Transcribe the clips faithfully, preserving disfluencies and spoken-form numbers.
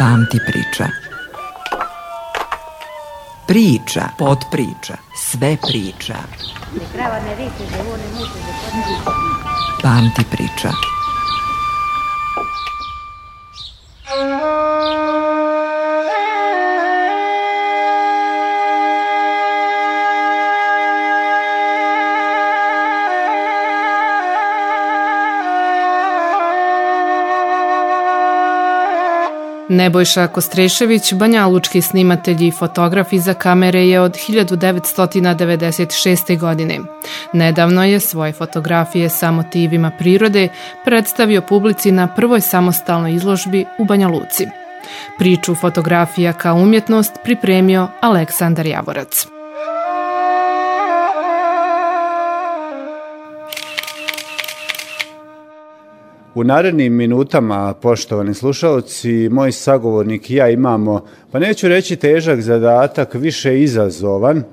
Pamti priča. Priča, potpriča, sve priča. Pamti priča. Nebojša Kostrešević, banjalučki snimatelj i fotograf iza kamere je od hiljadu devetsto devedeset šeste. godine. Nedavno je svoje fotografije sa motivima prirode predstavio publici na prvoj samostalnoj izložbi u Banja Luci. Priču fotografija kao umjetnost pripremio Aleksandar Javorac. U narednim minutama, poštovani slušalci, moj sagovornik i ja imamo, pa neću reći težak zadatak, više izazovan,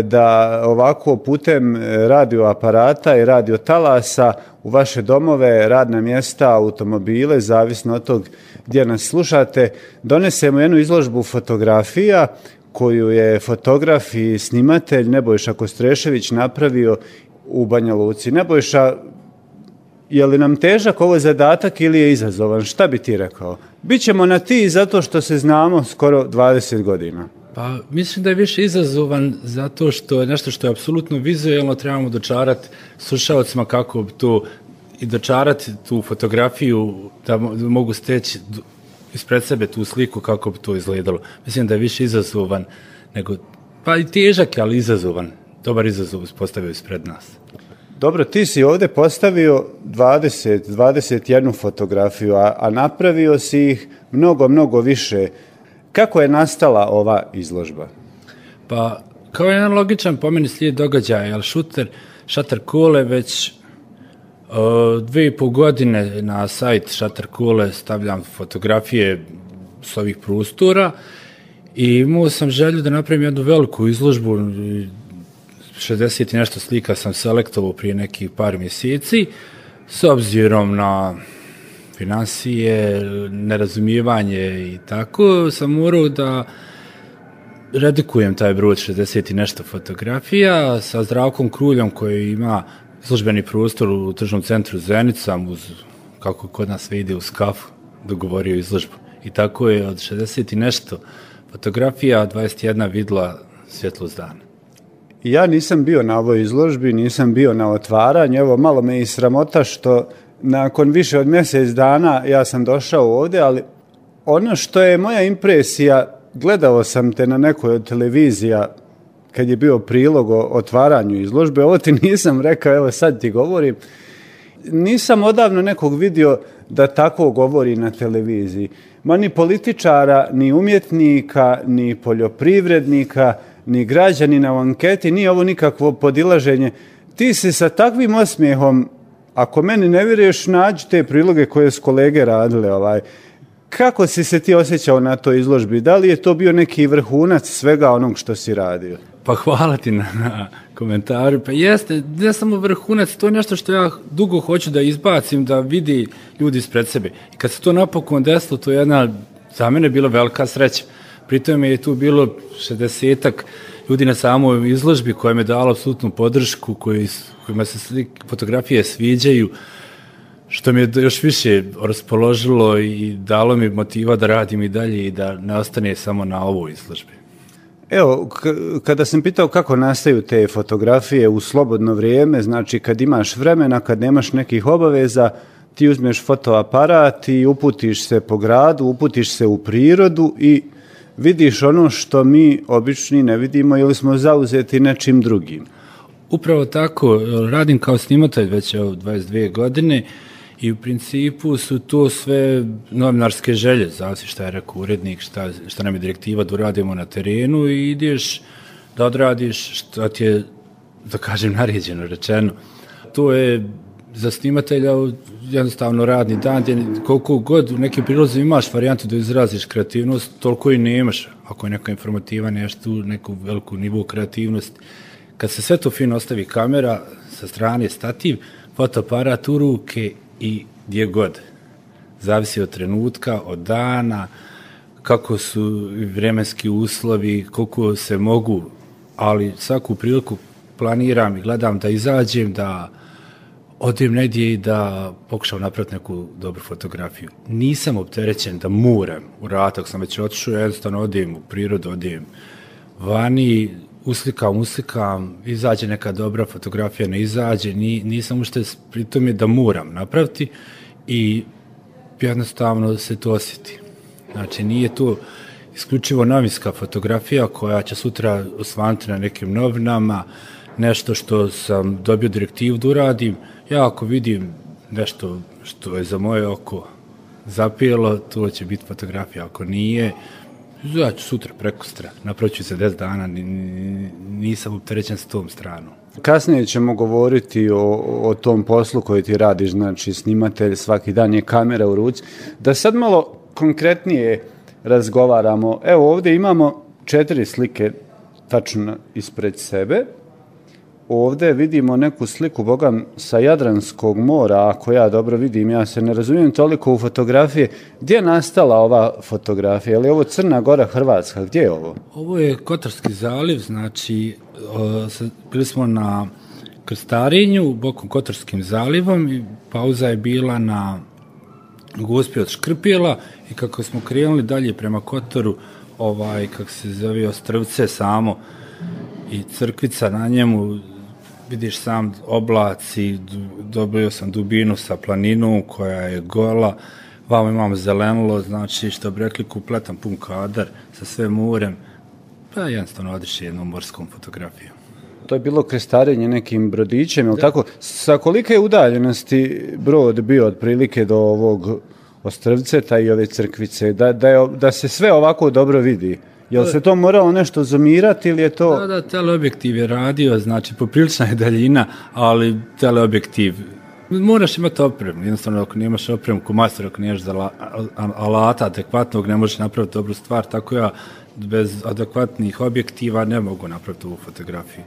da ovako putem radioaparata i radiotalasa u vaše domove, radna mjesta, automobile, zavisno od tog gdje nas slušate, donesemo jednu izložbu fotografija koju je fotograf i snimatelj Nebojša Kostrešević napravio u Banja Luci. Nebojša, je li nam težak ovo zadatak ili je izazovan? Šta bi ti rekao? Bićemo na ti zato što se znamo skoro dvadeset godina. Pa mislim da je više izazovan zato što je nešto što je apsolutno vizualno, trebamo dočarati slušalcima kako to i dočarati tu fotografiju da mogu steći ispred sebe tu sliku kako bi to izgledalo. Mislim da je više izazovan nego, pa i težak, ali izazovan. Dobar izazov postavio ispred nas. Dobro, ti si ovdje postavio dvadeset, dvadeset jednu fotografiju, a, a napravio si ih mnogo, mnogo više. Kako je nastala ova izložba? Pa, kao jedan logičan po meni slijed događaja, jer šuter, Shutter Kule već uh, dve i pol godine na sajt Shutter Kule stavljam fotografije s ovih prostora i imao sam želju da napravim jednu veliku izložbu. šezdeset i nešto slika sam selektovao prije nekih par mjeseci, s obzirom na financije, nerazumijevanje i tako, sam morao da redikujem taj broj šezdeset i nešto fotografija sa Zdravkom Kruljom koji ima službeni prostor u tržnom centru Zenica, uz, kako kod nas ide, uz kafu, dogovorio izložbu. I tako je od šezdeset i nešto fotografija dvadeset jedna vidla svjetlost dana. Ja nisam bio na ovoj izložbi, nisam bio na otvaranju, evo malo me i sramota što nakon više od mjesec dana ja sam došao ovdje, ali ono što je moja impresija, gledao sam te na nekoj od televizija kad je bio prilog o otvaranju izložbe, ovo ti nisam rekao, evo sad ti govorim, nisam odavno nekog vidio da tako govori na televiziji. Ma ni političara, ni umjetnika, ni poljoprivrednika, ni građanina u anketi, nije ovo nikakvo podilaženje. Ti si sa takvim osmijehom, ako meni ne vjeruješ, nađi te priloge koje su kolege radile. Ovaj. Kako si se ti osjećao na toj izložbi? Da li je to bio neki vrhunac svega onog što si radio? Pa hvala ti na, na komentaru. Pa jeste, ne samo vrhunac, to je nešto što ja dugo hoću da izbacim, da vidi ljudi ispred sebe. I kad se to napokon desilo, to je jedna, za mene bila velika sreća. Pritom je tu bilo šezdesetak ljudi na samoj izložbi koja me dala apsolutnu podršku, koji, kojima se slike, fotografije sviđaju, što mi je još više raspoložilo i dalo mi motiva da radim i dalje i da ne ostane samo na ovoj izložbi. Evo, k- kada sam pitao kako nastaju te fotografije u slobodno vrijeme, znači kad imaš vremena, kad nemaš nekih obaveza, ti uzmeš fotoaparat i uputiš se po gradu, uputiš se u prirodu i vidiš ono što mi obični ne vidimo ili smo zauzeti nečim drugim. Upravo tako, radim kao snimatelj već evo dvadeset dvije godine i u principu su to sve novinarske želje, zavisi šta je rekao urednik, šta, šta nam je direktiva da uradimo na terenu i ideš da odradiš šta ti je, da kažem, naređeno rečeno. To je za snimatelja jednostavno radni dan, gdje koliko god u nekim prilozima imaš varijantu da izraziš kreativnost, toliko i nemaš. Ako je neka informativa, nešto, neku veliku nivu kreativnosti. Kad se sve to fino ostavi kamera, sa strane stativ, fotoaparat u ruke i gdje god. Zavisi od trenutka, od dana, kako su vremenski uslovi, koliko se mogu, ali svaku priliku planiram i gledam da izađem, da odem negdje i da pokušam napraviti neku dobru fotografiju. Nisam opterećen da moram u ratak, sam već otišao, jednostavno odem u prirodu, odem vani, uslikam, uslikam, izađe neka dobra fotografija, ne izađe, ni, nisam ušte pri tome da moram napraviti i jednostavno se to osjeti. Znači, nije to isključivo novinska fotografija koja će sutra osvanuti na nekim novinama, nešto što sam dobio direktivu da uradim. Ja ako vidim nešto što je za moje oko zapijelo, to će biti fotografija. Ako nije, ja ću sutra, prekustra, napravit ću se deset dana, nisam opterećen s tom stranom. Kasnije ćemo govoriti o, o tom poslu koji ti radiš, znači snimatelj, svaki dan je kamera u ruci. Da sad malo konkretnije razgovaramo. Evo ovdje imamo četiri slike tačno ispred sebe. Ovdje vidimo neku sliku, bogam, sa Jadranskog mora, ako ja dobro vidim, ja se ne razumijem toliko u fotografije. Gdje je nastala ova fotografija? Je li ovo Crna Gora, Hrvatska? Gdje je ovo? Ovo je Kotarski zaliv, znači o, bili smo na krstarenju bokom Kotarskim zalivom i pauza je bila na Gospi od Škrpjela i kako smo krenuli dalje prema Kotoru, ovaj, kako se zove, Ostrvce samo i crkvica na njemu, vidiš sam oblaci, dobio sam dubinu sa planinom koja je gola, vamo imamo zelenilo, znači što bi rekli kompletan pun kadar sa sve morem, pa jednostavno odiš jednom morskom fotografijom. To je bilo krestarenje nekim brodićem, je li tako? Sa kolike udaljenosti brod bio otprilike do ovog Ostrvceta i ove crkvice, da, da, je, da se sve ovako dobro vidi? Jel se to moralo nešto zoomirati ili je to... Da, da, teleobjektiv je radio, znači poprilična je daljina, ali teleobjektiv, moraš imati opremu, jednostavno ako nemaš opremu ko master, ako nemaš za alata adekvatnog, ne možeš napraviti dobru stvar, tako ja bez adekvatnih objektiva ne mogu napraviti ovu fotografiju.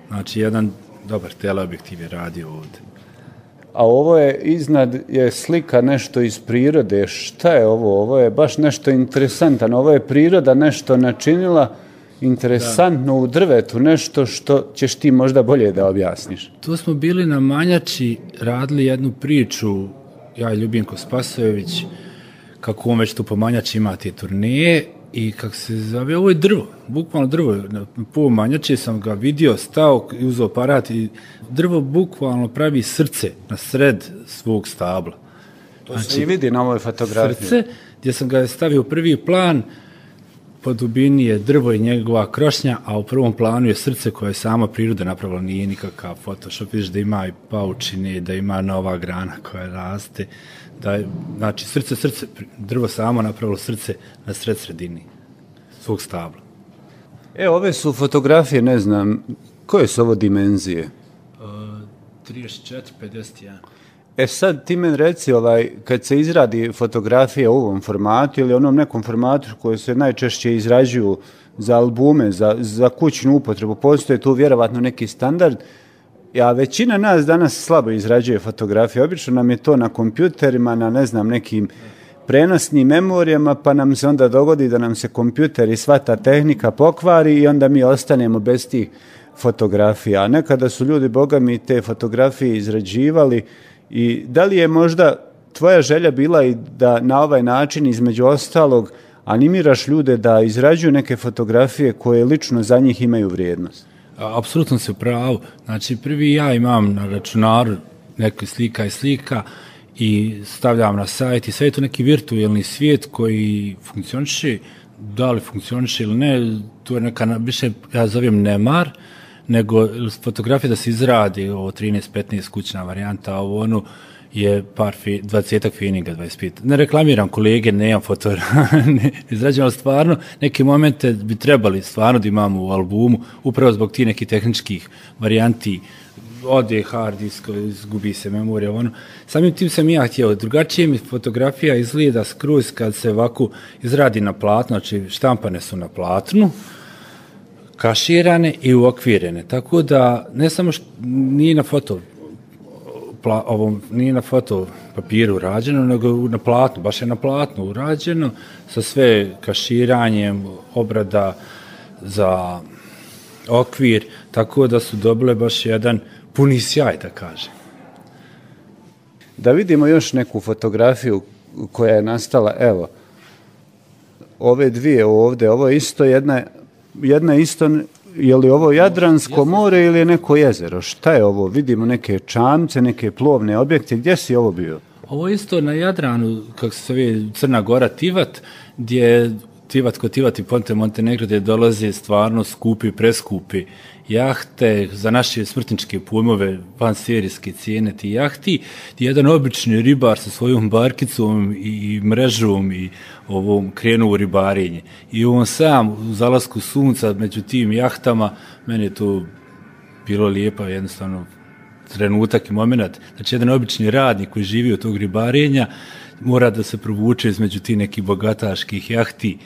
Znači jedan dobar teleobjektiv je radio ovdje. A ovo je iznad je slika nešto iz prirode. Šta je ovo? Ovo je baš nešto interesantno. Ovo je priroda nešto načinila interesantno da. U drvetu, nešto što ćeš ti možda bolje da objasniš. Tu smo bili na Manjači, radili jednu priču, ja i Ljubinko Spasojević, kako on već tu po Manjači ima te turneje i kako se zove, ovo je drvo, bukvalno drvo, na pol Manjače sam ga vidio, stao i uzeo aparat i drvo bukvalno pravi srce na sred svog stabla. To znači, se i vidi na ovoj fotografiji. Srce, gdje sam ga stavio u prvi plan, po dubini je drvo i njegova krošnja, a u prvom planu je srce koje je sama priroda napravila, nije nikakav Photoshop, vidiš da ima i paučine, da ima nova grana koja raste, da je, znači srce, srce, drvo samo napravilo srce na sred sredini svog stabla. E, ove su fotografije, ne znam, koje su ovo dimenzije? Uh, trideset četiri pedeset jedan. E sad ti meni reci, ovaj, kad se izradi fotografija u ovom formatu ili onom nekom formatu koje se najčešće izrađuju za albume, za, za kućnu upotrebu, postoje tu vjerovatno neki standard, a većina nas danas slabo izrađuje fotografije. Obično nam je to na kompjuterima, na ne znam, nekim prenosnim memorijama, pa nam se onda dogodi da nam se kompjuter i sva ta tehnika pokvari i onda mi ostanemo bez tih fotografija. A nekada su ljudi, boga mi, te fotografije izrađivali. I da li je možda tvoja želja bila i da na ovaj način između ostalog animiraš ljude da izrađuju neke fotografije koje lično za njih imaju vrijednost? Apsolutno se pravo. Znači prvi ja imam na računaru neke slika i slika i stavljam na sajt i sve je to neki virtualni svijet koji funkcioniše, da li funkcioniše ili ne, to je neka više, ja zovem nemar, nego fotografija da se izradi ovo trinaest petnaest kućna varijanta, a ovo ono je par fi, dvadesetak fininga, dvadeset pet. Ne reklamiram kolege, nemam fotografiju, ne izrađujem, stvarno neke momente bi trebali stvarno da imamo u albumu, upravo zbog tih nekih tehničkih varijanti, ode hard disk, izgubi se memorija, ono. Samim tim sam ja htio, drugačije mi fotografija izgleda skroz kad se ovako izradi na platnu, znači štampane su na platnu, kaširane i uokvirene, tako da ne samo što nije na foto pla, ovom, nije na foto papiru urađeno, nego na platnu, baš je na platnu urađeno, sa sve kaširanjem, obrada za okvir, tako da su dobile baš jedan puni sjaj, da kažem. Da vidimo još neku fotografiju koja je nastala, evo, ove dvije ovdje, ovo je isto jedna, jedna isto, je li ovo Jadransko more ili je neko jezero? Šta je ovo? Vidimo neke čamce, neke plovne objekte, gdje si ovo bio? Ovo isto na Jadranu, kako se zove Crna Gora, Tivat, gdje Tivat kod Tivat i Ponte Montenegro, gdje dolaze stvarno skupi, preskupi jahte za naše smrtničke pojmove, vanserijske cijene ti jahti, gdje jedan obični ribar sa svojom barkicom i, i mrežom i ovom krenu u ribarenje. I on sam u zalasku sunca među tim jahtama, meni je to bilo lijepo, jednostavno trenutak i moment. Znači, jedan obični radnik koji živi od tog ribarenja mora da se provuče između tih nekih bogataških jahti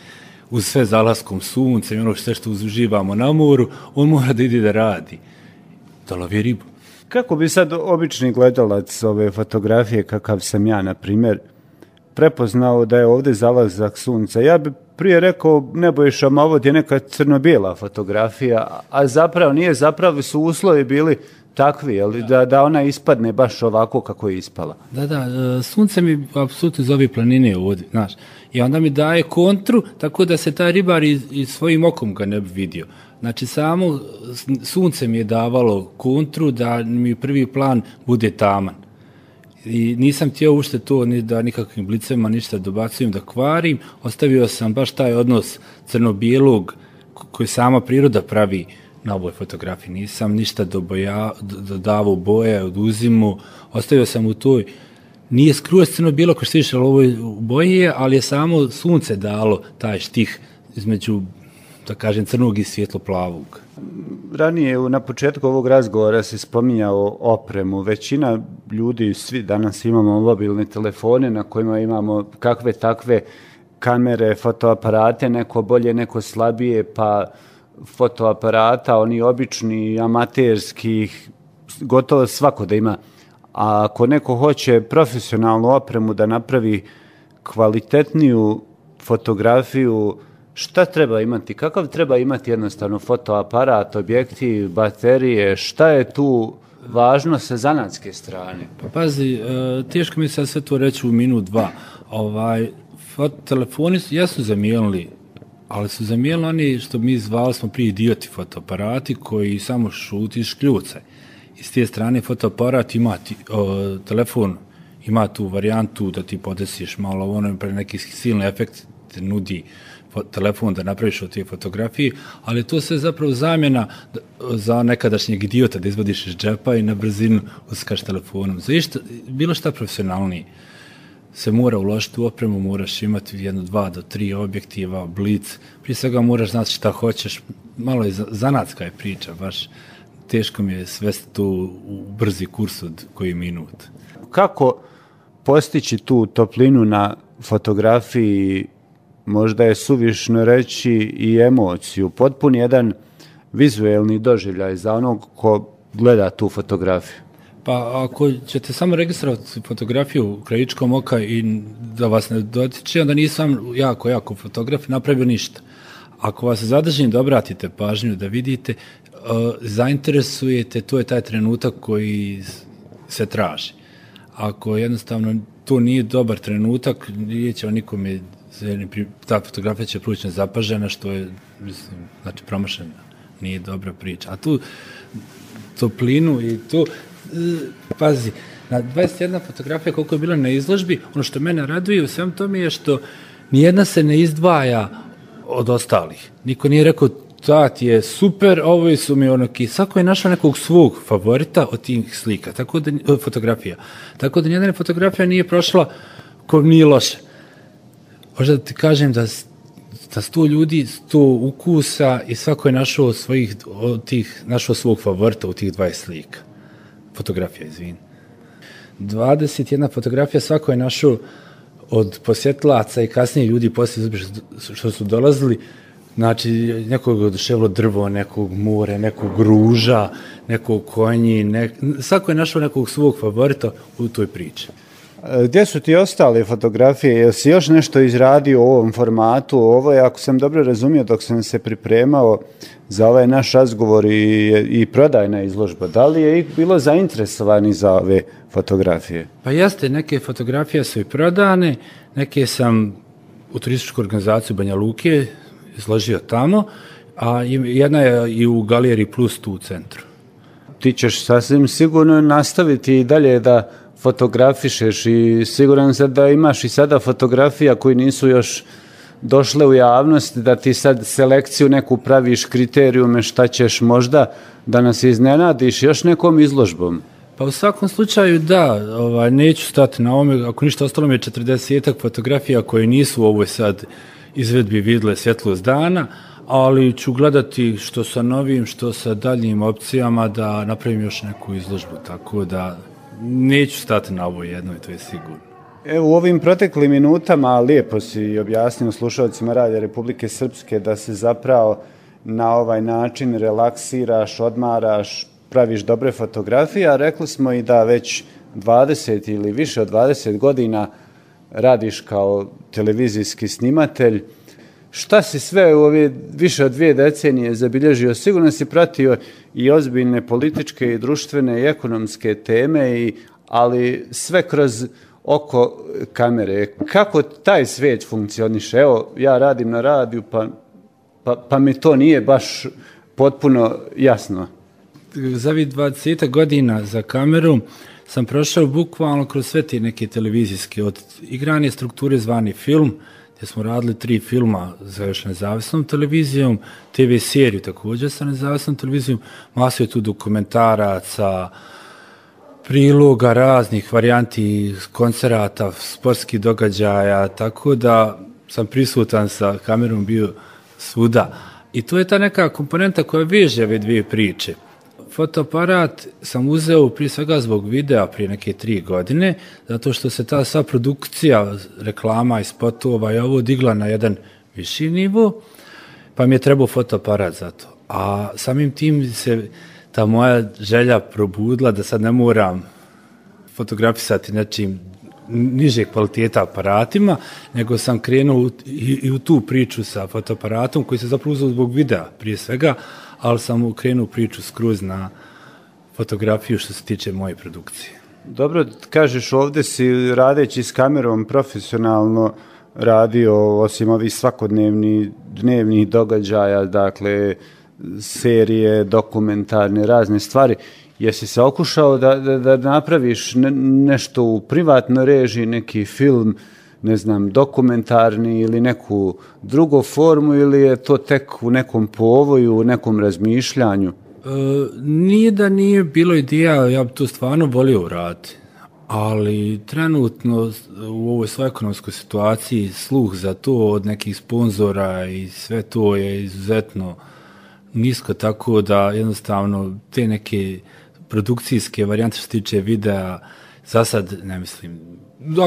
uz sve zalaskom sunca i ono sve što uživamo na moru, on mora da ide da radi, da lovi ribu. Kako bi sad obični gledalac ove fotografije, kakav sam ja, na primjer, prepoznao da je ovdje zalazak sunca? Ja bi prije rekao, Nebojša, ma ovo je neka crno-bijela fotografija, a zapravo nije, zapravo su uslovi bili takvi, jel, da, da ona ispadne baš ovako kako je ispala. Da, da, sunce mi apsolutno iz ove planine ovdje, znaš, i onda mi daje kontru, tako da se taj ribar i, i svojim okom ga ne bi vidio. Znači, samo sunce mi je davalo kontru da mi prvi plan bude taman. I nisam htio ušte to ni da nikakvim blicema ništa dobacujem, da kvarim, ostavio sam baš taj odnos crno-bijelog koji sama priroda pravi na ovoj fotografiji. Nisam ništa doboja, dodavao boje, oduzimu, ostavio sam u toj, nije skroz crno-bijelo kao što više ovo boje, ali je samo sunce dalo taj štih između, da kažem, crnog i svjetlo-plavog. Ranije, na početku ovog razgovora se spominjao opremu. Većina ljudi, svi danas imamo mobilne telefone na kojima imamo kakve takve kamere, fotoaparate, neko bolje, neko slabije, pa fotoaparata, oni obični, amaterskih, gotovo svako da ima. A ako neko hoće profesionalnu opremu da napravi kvalitetniju fotografiju, šta treba imati? Kakav treba imati jednostavno fotoaparat, objektiv, baterije? Šta je tu važno sa zanatske strane? Pa pazi, teško mi sad sve to reći u minut, dva. Ovaj, telefoni jesu zamijenili, ali su zamijenili oni što mi zvali smo prije idioti fotoaparati koji samo šuti i škljucaj. I s te strane fotoaparat ima ti, o, telefon ima tu varijantu da ti podesiš malo ono pre neki silni efekt te nudi telefon da napraviš od te fotografije, ali to se zapravo zamjena za nekadašnjeg idiota da izvadiš iz džepa i na brzinu uskaš telefonom. Za išta, bilo šta profesionalnije se mora uložiti u opremu, moraš imati jedno, dva do tri objektiva, blic, prije svega moraš znati šta hoćeš, malo je zanatska je priča, baš teško mi je svesti tu u brzi kurs od koji minut. Kako postići tu toplinu na fotografiji, možda je suvišno reći i emociju, potpun jedan vizuelni doživljaj za onog ko gleda tu fotografiju? Pa ako ćete samo registrovati fotografiju krajičkom oka i da vas ne dotiče, onda nisam jako, jako fotograf napravio ništa. Ako vas zadržim da obratite pažnju, da vidite, uh, zainteresujete, to je taj trenutak koji se traži. Ako jednostavno to nije dobar trenutak, nije će nikome, ta fotografija će proći nezapažena, što je, mislim, znači promašena, nije dobra priča. A tu toplinu i tu, pazi, na dvadeset jedna fotografija koliko je bila na izložbi, ono što mene raduje u svem tome je što nijedna se ne izdvaja od ostalih. Niko nije rekao, ta ti je super, ovo su mi onoki, svako je našao nekog svog favorita od tih slika, tako da, fotografija. Tako da nijedna fotografija nije prošla ko nije loše. Možda da ti kažem da, da sto ljudi, sto ukusa i svako je našao svojih, od tih, našao svog favorita u tih dvadeset slika. Fotografija, izvini. dvadeset jedna fotografija, svako je našao od posjetlaca i kasnije ljudi poslije što su dolazili, Znači, nekog oduševilo drvo, nekog more, nekog ruža, nekog konji, nek... svako je našao nekog svog favorita u toj priči. Gdje su ti ostale fotografije? Jel si još nešto izradio u ovom formatu? Ovo je, ako sam dobro razumio, dok sam se pripremao za ovaj naš razgovor i, i prodajna izložba. Da li je bilo zainteresovani za ove fotografije? Pa jeste, neke fotografije su i prodane, neke sam u turističku organizaciju Banja Luke izložio tamo, a jedna je i u Galeriji Plus tu u centru. Ti ćeš sasvim sigurno nastaviti i dalje da fotografišeš i siguran sam da imaš i sada fotografija koji nisu još došle u javnost, da ti sad selekciju neku praviš, kriterijume šta ćeš možda da nas iznenadiš još nekom izložbom. Pa u svakom slučaju da, ovaj, neću stati na ovome, ako ništa ostalo mi je četrdesetak fotografija koje nisu u ovoj sad izvedbi vidle svjetlost dana, ali ću gledati što sa novim, što sa daljnjim opcijama da napravim još neku izložbu, tako da neću stati na ovo jedno i to je sigurno. Evo, u ovim proteklim minutama lijepo si objasnio slušalcima Radija Republike Srpske da se zapravo na ovaj način relaksiraš, odmaraš, praviš dobre fotografije, a rekli smo i da već dvadeset ili više od dvadeset godina radiš kao televizijski snimatelj. Šta si sve u ove više od dvije decenije zabilježio? Sigurno si pratio i ozbiljne političke i društvene i ekonomske teme, i, ali sve kroz oko kamere. Kako taj svijet funkcioniše? Evo, ja radim na radiju, pa, pa, pa mi to nije baš potpuno jasno. Za ovih dvadeset godina za kameru sam prošao bukvalno kroz sve te neke televizijske, od igranje strukture zvani film, gdje smo radili tri filma za još nezavisnom televizijom, te ve seriju također sa nezavisnom televizijom, masu je tu dokumentaraca, priloga, raznih varijanti, koncerata, sportskih događaja, tako da sam prisutan sa kamerom bio svuda. I to je ta neka komponenta koja veže ove dvije priče. Fotoaparat sam uzeo prije svega zbog videa prije neke tri godine, zato što se ta sva produkcija reklama i spotova je ovo digla na jedan viši nivo, pa mi je trebao fotoaparat za to. A samim tim se ta moja želja probudila da sad ne moram fotografisati nečim niže kvaliteta aparatima, nego sam krenuo i, i u tu priču sa fotoaparatom koji se zapravo uzeo zbog videa prije svega, ali sam krenuo priču skroz na fotografiju što se tiče moje produkcije. Dobro, kažeš, ovdje si radeći s kamerom profesionalno radio, osim ovih svakodnevnih dnevnih događaja, dakle serije, dokumentarne, razne stvari. Jesi se okušao da, da, da napraviš ne, nešto u privatnoj režiji, neki film, ne znam, dokumentarni ili neku drugu formu, ili je to tek u nekom povoju, u nekom razmišljanju? E, nije da nije bilo ideja, ja bi to stvarno volio uraditi, ali trenutno u ovoj svoj ekonomskoj situaciji sluh za to od nekih sponzora i sve to je izuzetno nisko, tako da jednostavno te neke produkcijske varijante što se tiče videa, za sad ne mislim.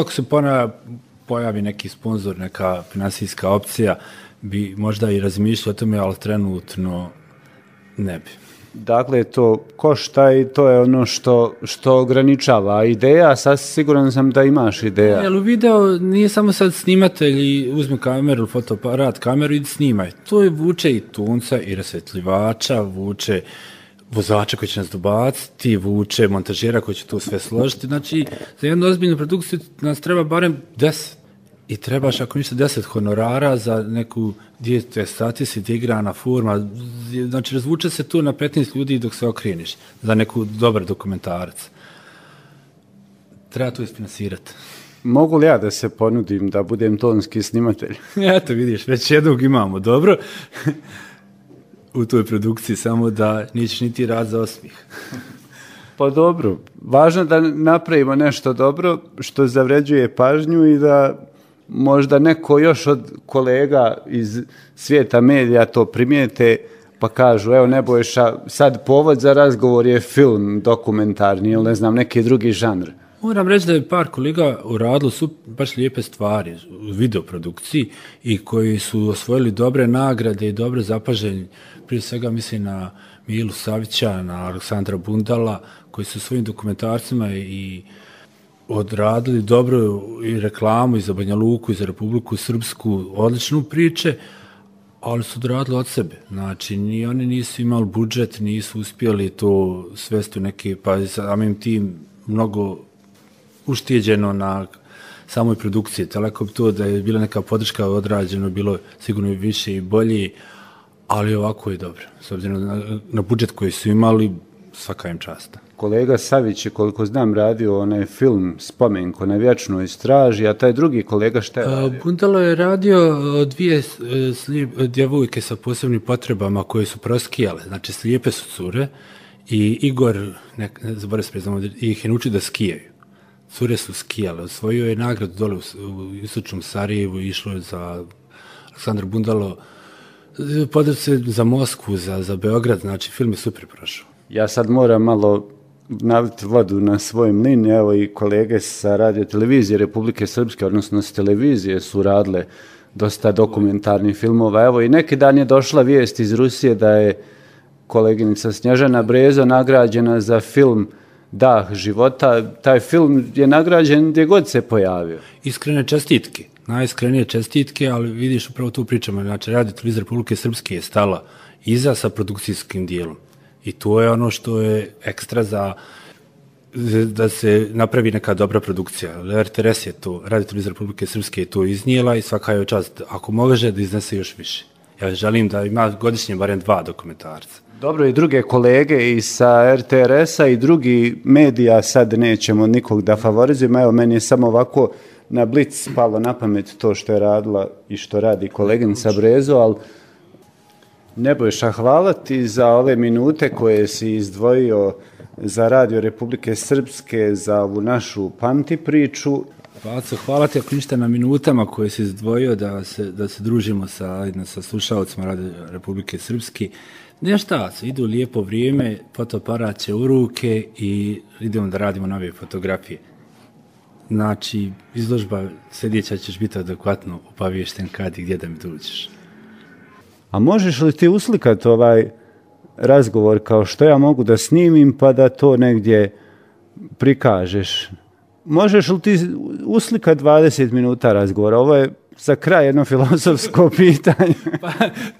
Ako se pojavi neki sponzor, neka finansijska opcija, bi možda i razmišljao o tome, ali trenutno ne bi. Dakle, to košta i to je ono što, što ograničava. Ideja, sad siguran sam da imaš ideja. Jel, u video nije samo sad snimatelj i uzme kameru, fotoaparat, kameru i snimaj. To je vuče i tunca i rasvetljivača, vuče vozača koji će nas dobaciti, vuče montažera koji će to sve složiti. Znači, za jednu ozbiljnu produkciju nas treba barem deset. I trebaš, ako ništa, deset honorara za neku dijete statisi, igrana forma. Znači, razvuče se tu na petnaest ljudi dok se okreniš za neku dobar dokumentarac. Treba to isfinansirati. Mogu li ja da se ponudim da budem tonski snimatelj? Eto, vidiš, već jednog imamo, dobro. U toj produkciji, samo da nećeš niti rad za osmih. Pa dobro, važno da napravimo nešto dobro što zavređuje pažnju i da možda neko još od kolega iz svijeta medija to primijete pa kažu, evo Nebojša, sad povod za razgovor je film dokumentarni ili ne znam, neki drugi žanr. Moram reći da je par kolega uradilo su baš lijepe stvari u videoprodukciji i koji su osvojili dobre nagrade i dobre zapaženje. Prije svega mislim na Milu Savića, na Aleksandra Bundala, koji su svojim dokumentarcima i odradili dobro i reklamu i za Banja Luku i za Republiku Srpsku, odličnu priče, ali su odradili od sebe. Znači, ni oni nisu imali budžet, nisu uspjeli to svesti u neke, pa samim tim mnogo uštijeđeno na samoj produkciji. Tako bi to da je bila neka podrška odrađeno, bilo sigurno više i bolje, ali ovako je dobro. S obzirom na, na budžet koji su imali, svaka im časta. Kolega Savić je, koliko znam, radio onaj film Spomenko na vječnoj straži, a taj drugi kolega šta je radio? Bundalo je radio dvije slijep, djevojke sa posebnim potrebama koje su proskijale, znači slijepe su cure i Igor, ne, ne zaboravim se priznamo, ih je naučio da skijaju. Cure su skijale, osvojio je nagradu dole u, u istočnom Sarajevu, išlo je za Aleksandar Bundalo, podrži se za Moskvu, za, za Beograd, znači film je super prošao. Ja sad moram malo naliti vodu na svoj mlin, evo i kolege sa radio televizije Republike Srpske, odnosno s televizije su radile dosta dokumentarnih filmova. Evo i neki dan je došla vijest iz Rusije da je koleginica Snježana Brezo nagrađena za film Dah života. Taj film je nagrađen gdje god se pojavio. Iskrene čestitke, najiskrenije čestitke, ali vidiš upravo tu pričamo. Znači, radio televizija Republike Srpske je stala iza sa produkcijskim dijelom. I to je ono što je ekstra za da se napravi neka dobra produkcija. R T R S je to, Radio televizija Republike Srpske je to iznijela i svaka je čast, ako može, da iznese još više. Ja želim da ima godišnje barem dva dokumentarca. Dobro, i druge kolege i sa R T R S-a i drugi medija, sad nećemo nikog da favorizujemo. Evo, meni je samo ovako na blic palo na pamet to što je radila i što radi koleginica Brezo, ali Nebojša, hvala ti za ove minute koje si izdvojio za Radio Republike Srpske, za ovu našu Pamti priču. Paco, hvala ti ako ništa na minutama koje si izdvojio da se, da se družimo sa, sa slušalcima Radio Republike Srpske. Nešto, idu lijepo vrijeme, fotoaparat će u ruke i idemo da radimo nove fotografije. Znači, izložba sljedeća ćeš biti adekvatno obaviješten kad i gdje da mi dođeš. A možeš li ti uslikati ovaj razgovor kao što ja mogu da snimim pa da to negdje prikažeš? Možeš li ti uslikati dvadeset minuta razgovora? Ovo je za kraj jedno filozofsko pitanje. Pa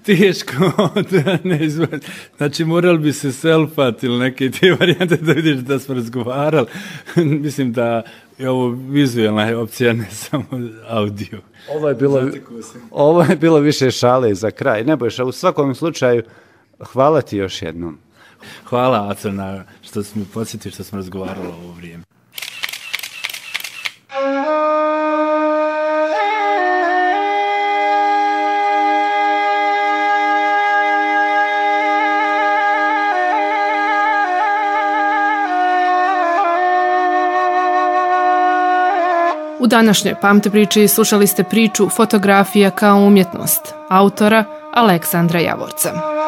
teško da ne izvod. Znači morali bi se selfat ili neke te varijante da vidiš da smo razgovarali. Mislim da je ovo vizualna opcija, ne samo audio. Ovo je bilo, ovo je bilo više šale za kraj. Ne bojiš, u svakom slučaju hvala ti još jednom. Hvala, Aco, na što si mi podsjetio što smo razgovarali ovo vrijeme. U današnjoj Pamti priči slušali ste priču Fotografija kao umjetnost, autora Aleksandra Javorca.